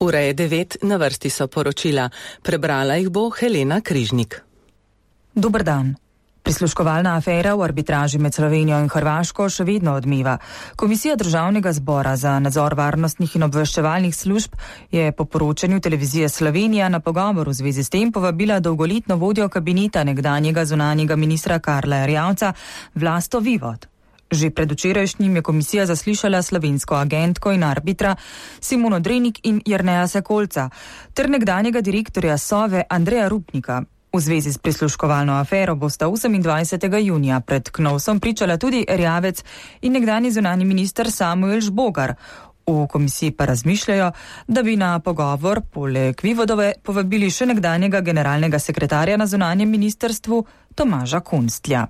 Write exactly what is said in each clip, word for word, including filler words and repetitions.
Ura je devet, na vrsti so poročila. Prebrala jih bo Helena Križnik. Dober dan. Prisluškovalna afera v arbitraži med Slovenijo in Hrvaško še vedno odmeva. Komisija Državnega zbora za nadzor varnostnih in obveščevalnih služb je po poročanju televizije Slovenija na pogovor v zvezi s tem povabila dolgoletno vodjo kabineta nekdanjega zunanjega ministra Karla Erjavca Vlasto Vivod. Že predvčerajšnjim je komisija zaslišala slovensko agentko in arbitra Simono Drenik in Jerneja Sekolca ter nekdanjega direktorja Sove Andreja Rupnika. V zvezi s prisluškovalno afero bosta osemindvajsetega junija pred Knovsom pričala tudi Erjavec in nekdanji zunanji minister Samuel Žbogar. V komisiji pa razmišljajo, da bi na pogovor poleg Vivodove povabili še nekdanjega generalnega sekretarja na zunanjem ministrstvu Tomaža Kunstlja.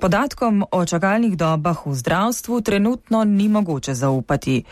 Podatkom o čakalnih dobah v zdravstvu trenutno ni mogoče zaupati.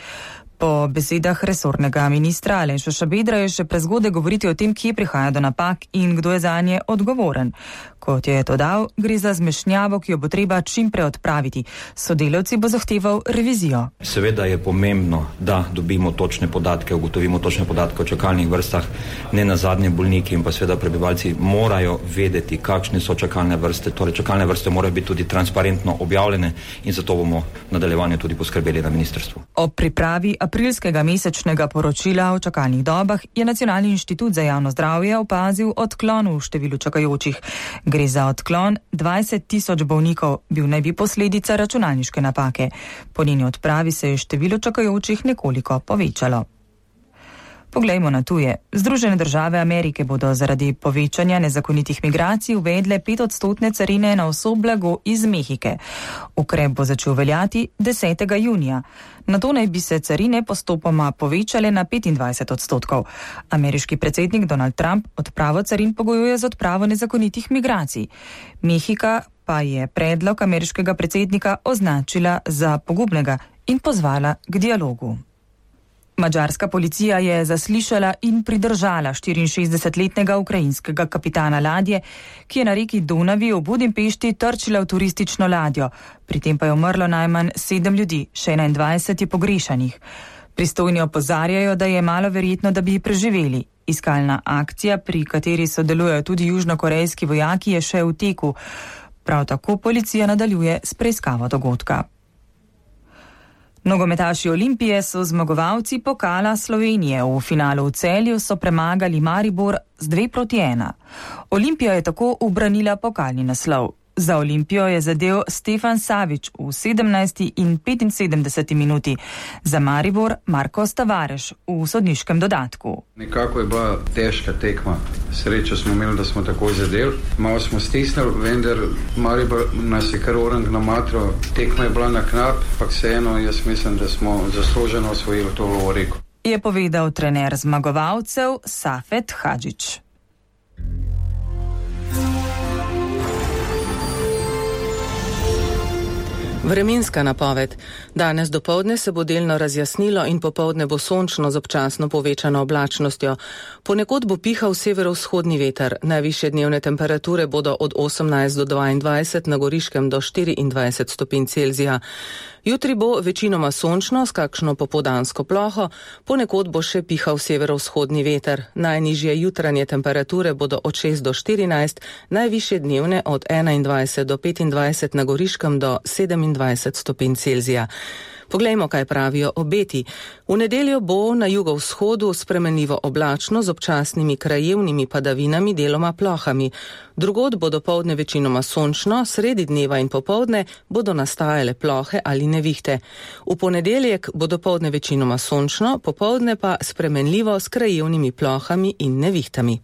Po besedah resornega ministra Aleša Šabedra je še prezgodaj govoriti o tem, kje prihaja do napak in kdo je zanje odgovoren. Kot je to dal, gre za zmešnjavo, ki jo bo treba čim prej odpraviti. Sodelavci bo zahteval revizijo. Seveda je pomembno, da dobimo točne podatke, ugotovimo točne podatke o čakalnih vrstah. Ne nazadnje bolniki in pa seveda prebivalci morajo vedeti, kakšne so čakalne vrste. Torej, čakalne vrste morajo biti tudi transparentno objavljene in zato bomo v nadaljevanju tudi poskrbeli na ministrstvu. Ob pripravi aprilskega mesečnega poročila o čakalnih dobah je Nacionalni inštitut za javno zdravje opazil odklon v številu čakajočih. Gre za odklon dvajset tisoč bolnikov, bil naj bi posledica računalniške napake. Po njeni odpravi se je število čakajočih nekoliko povečalo. Poglejmo na tuje. Združene države Amerike bodo zaradi povečanja nezakonitih migracij uvedle petodstotne carine na vso blago iz Mehike. Ukrep bo začel veljati desetega junija. Nato naj bi se carine postopoma povečale na petindvajset odstotkov. Ameriški predsednik Donald Trump odpravo carin pogojuje z odpravo nezakonitih migracij. Mehika pa je predlog ameriškega predsednika označila za pogubnega in pozvala k dialogu. Madžarska policija je zaslišala in pridržala štiriinšestdesetletnega ukrajinskega kapitana ladje, ki je na reki Donavi v Budimpešti trčila v turistično ladjo. Pri tem pa je umrlo najmanj sedem ljudi, še enaindvajset je pogrešanih. Pristojni opozarjajo, da je malo verjetno, da bi preživeli. Iskalna akcija, pri kateri sodelujejo tudi južnokorejski vojaki, je še v teku. Prav tako policija nadaljuje s preiskavo dogodka. Nogometaši Olimpije so zmagovalci pokala Slovenije. V finalu v Celju so premagali Maribor z dve proti ena. Olimpija je tako ubranila pokalni naslov. Za Olimpijo je zadel Stefan Savić v sedemnajsti in petinsedemdeseti minuti. Za Maribor Marko Stavareš v sodniškem dodatku. Nekako je bila težka tekma. Srečo smo imeli, da smo takoj zadeli. Malo smo stisnili, vendar Maribor nas je kar orang namatral. Tekma je bila na knap, pa vseeno jaz mislim, da smo zasluženo osvojili to lovoriko. Je povedal trener zmagovalcev Safet Hadžić. Vremenska napoved. Danes dopoldne se bo delno razjasnilo in popoldne bo sončno z občasno povečano oblačnostjo. Ponekod bo pihal severovzhodni veter. Najvišje dnevne temperature bodo od osemnajst do dvaindvajset, na Goriškem do štiriindvajset stopinj Celzija. Jutri bo večinoma sončno s kakšno popoldansko ploho, ponekod bo še pihal severovzhodni veter. Najnižje jutranje temperature bodo od šest do štirinajst, najvišje dnevne od enaindvajset do petindvajset, na Goriškem do sedemindvajset stopinj Celzija. Poglejmo, kaj pravijo obeti. V nedeljo bo na jugovzhodu spremenljivo oblačno z občasnimi krajevnimi padavinami, deloma plohami. Drugod bo dopoldne večinoma sončno, sredi dneva in popoldne bodo nastajale plohe ali nevihte. V ponedeljek bo dopoldne večinoma sončno, popoldne pa spremenljivo s krajevnimi plohami in nevihtami.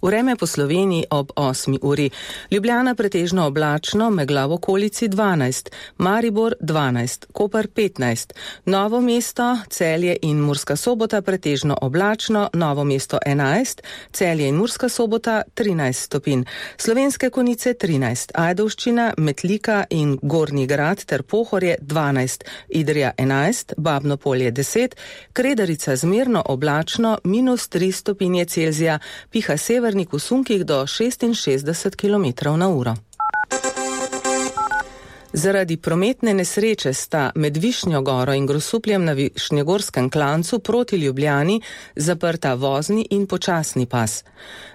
Vreme po Sloveniji ob osmi uri. Ljubljana pretežno oblačno, megla v okolici dvanajst, Maribor dvanajst, Koper petnajst, Novo mesto, Celje in Murska Sobota pretežno oblačno, Novo mesto enajst, Celje in Murska Sobota trinajst stopinj, Slovenske Konjice trinajst, Ajdovščina, Metlika in Gornji Grad ter Pohorje dvanajst, Idrija enajst, Babno Polje deset, Kredarica zmerno oblačno, minus tri stopinje Celzija, piha sever v sunkih do šestinšestdeset kilometrov na uro. Zaradi prometne nesreče sta med Višnjo goro in Grosupljem na Višnjegorskem klancu proti Ljubljani zaprta vozni in počasni pas.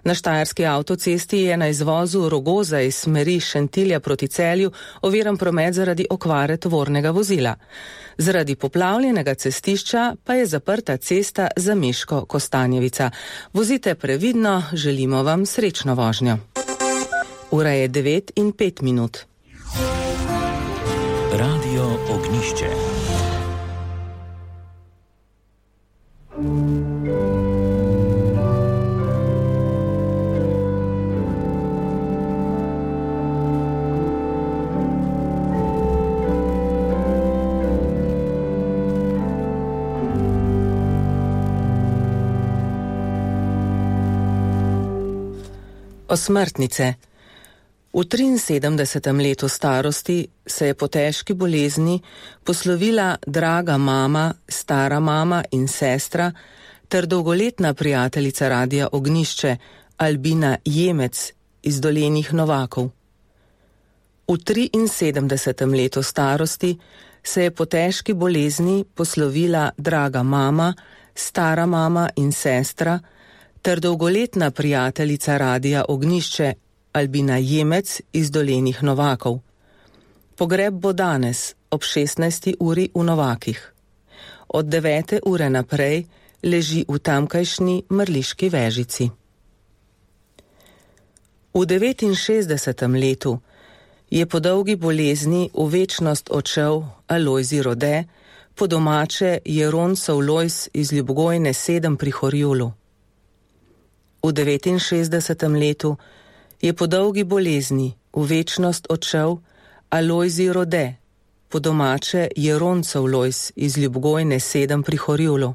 Na štajerski avtocesti je na izvozu Rogoza iz smeri Šentilja proti Celju oviran promet zaradi okvare tovornega vozila. Zaradi poplavljenega cestišča pa je zaprta cesta za Meško-Kostanjevica. Vozite previdno, želimo vam srečno vožnjo. Ura je devet in pet minut. Radio Ognišče. Osmrtnice. V triinsedemdesetem letu starosti se je po težki bolezni poslovila draga mama, stara mama in sestra ter dolgoletna prijateljica Radia Ognišče Albina Jemec iz Dolenjih Novakov. V triinsedemdesetem letu starosti se je po težki bolezni poslovila draga mama, stara mama in sestra ter dolgoletna prijateljica Radia Ognišče Albina Jemec iz Dolenjih Novakov. Pogreb bo danes ob šestnajsti uri v Novakih. Od devete ure naprej leži v tamkajšnji mrliški vežici. V devetinšestdesetem letu je po dolgi bolezni v večnost odšel Alojzij Rode, po domače Jeroncov Lojz iz Ljubgojne sedem pri Horjulu. V devetinšestdesetem letu je po dolgi bolezni v večnost odšel Alojzij Rode, po domače Jeroncov Lojz iz Ljubgojne sedem pri Horjulu.